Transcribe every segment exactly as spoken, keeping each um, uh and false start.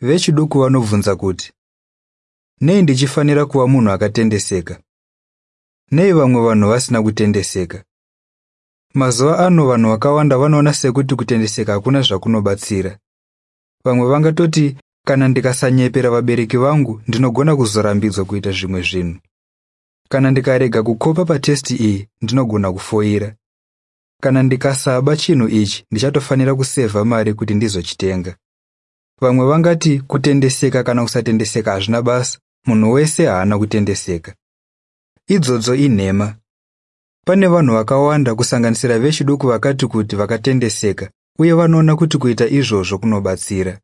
Vechiduku vanobvunza kuti, nei ndichifanira kuva munhu akatendeseka? Nei vamwe vanhu vasina kutendeseka? Mazuva ano vanhu vakawanda vanoona sekuti kutendeseka hakuna zvakunobatsira. Vamwe vangatoti kana ndikasanyepera vabereki vangu ndinogona kuzorambidzwa kuita zvimwe zvinhu. Kana ndikarega kukopa patesti iyi ndinogona kufoira. Kana ndikasaba chinhu ichi ndichatofanira kusevha mari kuti ndizochitenga. Vamwe vangati kutendeseka kana kusatendeseka hazvina basa, munhu wese haana kutendeseka. Idzodzo inhema. Pane vanhu vakawanda kusanganisira vechiduku vakati kuti vakatendeseka uye vanoona kuti kuita izvozvo kunobatsira.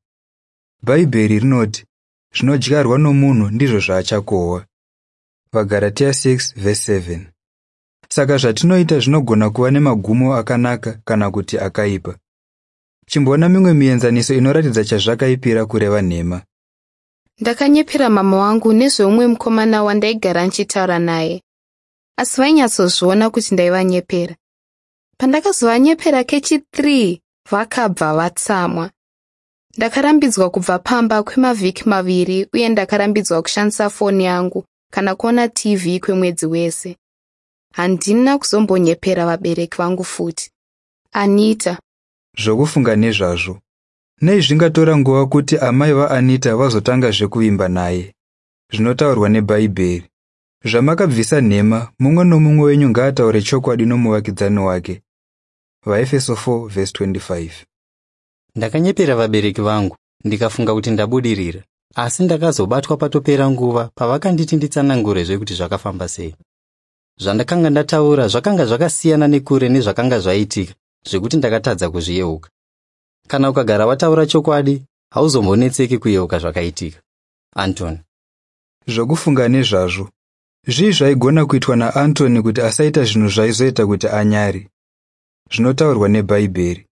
Bhaibheri rinoti zvinodyarwa nomunhu ndizvo zvaachakohwa. VaGaratia six verse seven. Saka zvatinoita zvinogona kuva nemagumo akanaka kana kuti akaipa. Chimboona mimwe mienzaniso inoratidza chazvakaipira kureva nhema. Ndakanyepera mama wangu nezveumwe mukomana wandaigara ndichitaura naye. Asi vainyatsozviona kuti ndaivanyepera. Pandakazovanyepera kechi three vakabva vatsamwa. Ndakarambidzwa kubva pamba kwemavhiki maviri uye ndakarambidzwa kushandisa foni yangu kana kuona T V kwemwedzi wese. Handina kuzombonyepera vabereki vangu futi. Anita. Zvokufunga nezvazvo. Nei zvingatora nguva kuti amai vaAnita vazotangazve kuvimba naye? Zvinotaurwa neBhaibheri. Zvamakabvisa nhema, mumwe nomumwe wenyu ngaataure chokwadi nomuvakidzani wake. VaEfeso four verse twenty-five. Ndakanyepera vabereki vangu, ndikafunga kuti ndabudirira. Asi ndakazobatwa patopera nguva pavakanditi nditsanangurezve kuti zvakafamba sei. Zvandakanga ndataura zvakanga zvakasiyana nekure nezvakanga zvaitika, zvekuti ndakatadza kuzviyeuka. Kana ukagara wataura chokwadi, hauzombonetseki kuyeuka zvakaitika. Anton. Zvokufunga nezvazvo. Zvii zvaigona kuitwa naAntony kuti asaita zvinhu zvaizoita kuti anyare? Zvinotaurwa neBhaibheri.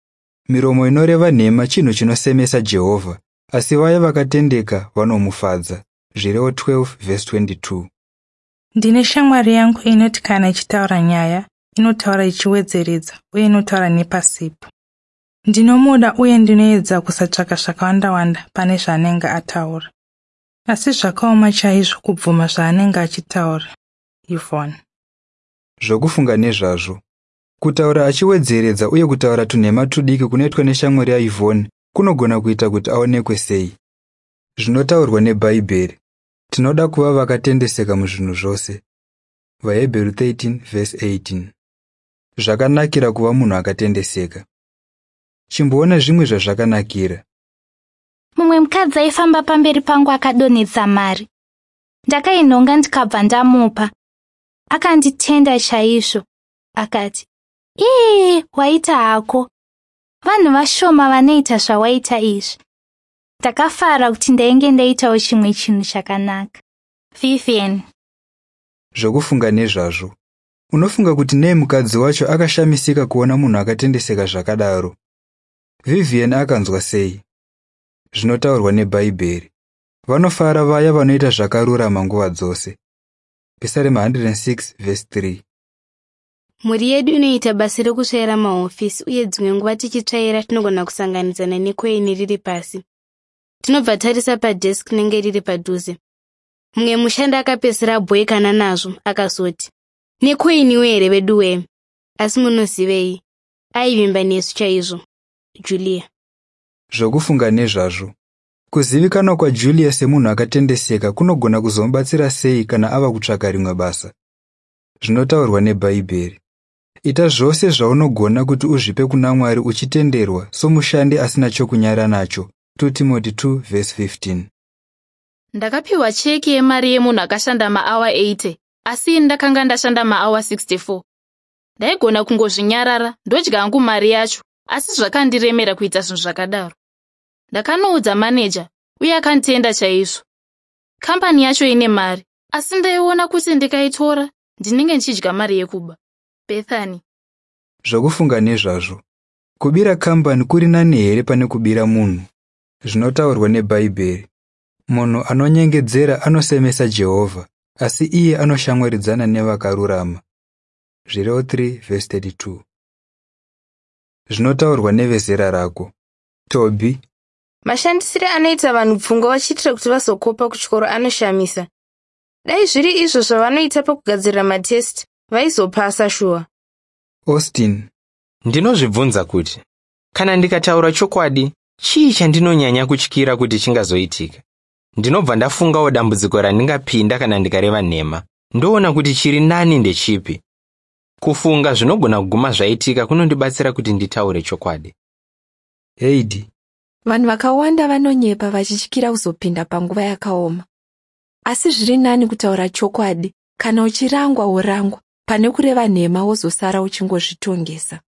Miromo inoreva nhema chinhu chinosemesa Jehovha, asi vaya vakatendeka vanomufadza. Zvirevo twelve verse twenty-two. Ndine shamwari yangu inoti kana ichitaura nyaya, inotaura ichiwedzeredza uye inotaura nepasipo. Ndinomuda uye ndinoedza kusatsvaka zvakawanda-wanda pane zvaanenge ataura. Asi zvakaoma chaizvo kubvuma zvaanenge achitaura. Yvonne. Zvokufunga nezvazvo. Kutaura achiwedzeredza uye kutaura tunhema tudiki kunoitwa neshamwari yaYvonne kunogona kuita kuti aonekwe sei? Zvinotaurwa neBhaibheri. Tinoda kuva vakatendeseka muzvinhu zvose. VaHebheru thirteen verse eighteen. Zvakanakira kuva munhu akatendeseka. Chimboona zvimwe zvazvakanakira. Mumwe mukadzi aifamba pamberi pangu akadonhedza mari. Ndakainhonga ndikabva ndamupa. Akanditenda chaizvo. Akati, "Ii, waita hako. Vanhu vashoma vanoita zvawaita izvi." Ndakafara kuti ndainge ndaitawo chimwe chinhu chakanaka. Vivian. Zvokufunga nezvazvo. Unofunga kuti nei mukadzi wacho akashamisika kuona munhu akatendeseka zvakadaro? Vivian akanzwa sei? Zvinotaurwa neBhaibheri. Vanofara vaya vanoita zvakarurama nguva dzose. Pisarema one hundred six verse three. Mhuri yedu inoita basa rekutsvaira mahofisi uye dzimwe nguva tichitsvaira tinogona kusanganidzana nekoini riri pasi. Tinobva tarisa padesk rinenge riri padhuze. Mumwe mushandi akapedzisira abhoikana nazvo akazoti, "Nekoiniwo here veduwe?" Asi munozivei, aivimba nesu chaizvo. Julia. Zvokufunga nezvazvo. Kuzivikanwa kwaJulia semunhu akatendeseka kunogona kuzomubatsira sei kana ava kutsvaka rimwe basa? Zvinotaurwa neBhaibheri. Ita zvose zvaunogona kuti uzvipe kuna Mwari uchitenderwa somushandi asina chokunyara nacho. two Timothy two verse fifteen. Ndakapiwa cheki yemari yemunhu akashanda maawa eighty, asi ini ndakanga ndashanda maawa sixty-four. Ndaigona kungozvinyarara ndodya hangu mari yacho, asi zvakandiremera kuita zvinhu zvakadaro. Ndakanoudza maneja uye akanditenda chaizvo. Kambani yacho ine mari, asi ndaiona kuti ndikaitora ndinenge ndichidya mari yekuba. Bethany. Zvokufunga nezvazvo. Kubira kambani kuri nani here pane kubira munhu? Zvinotaurwa neBhaibheri. Munhu anonyengedzera anosemesa Jehovha, asi iye anoshamwaridzana nevakarurama. Zvirevo three verse thirty-two. Zvinotaurwa nevezera rako. Toby. Mashandisire anoita vanhu pfungwa vachiitira kuti vazokopa kuchikoro anoshamisa. Dai zviri izvo zvavanoita pakugadzirira matest, vaizopasa shuwa. Austin. Ndinozvibvunza kuti kana ndikataura chokwadi, chii chandinonyanya kutyira kuti chingazoitika? Ndinobva ndafungawo dambudziko randingapinda kana ndikareva nhema. Ndoona kuti chiri nani ndechipi. Kufunga zvinogona kuguma zvaitika kunondibatsira kuti nditaure chokwadi. Heidi. Vanhu vakawanda vanonyepa vachityira kuzopinda panguva yakaoma. Asi zviri nani kutaura chokwadi kana uchirangwa worangwa pane kureva nhema wozosara uchingozvitongesa.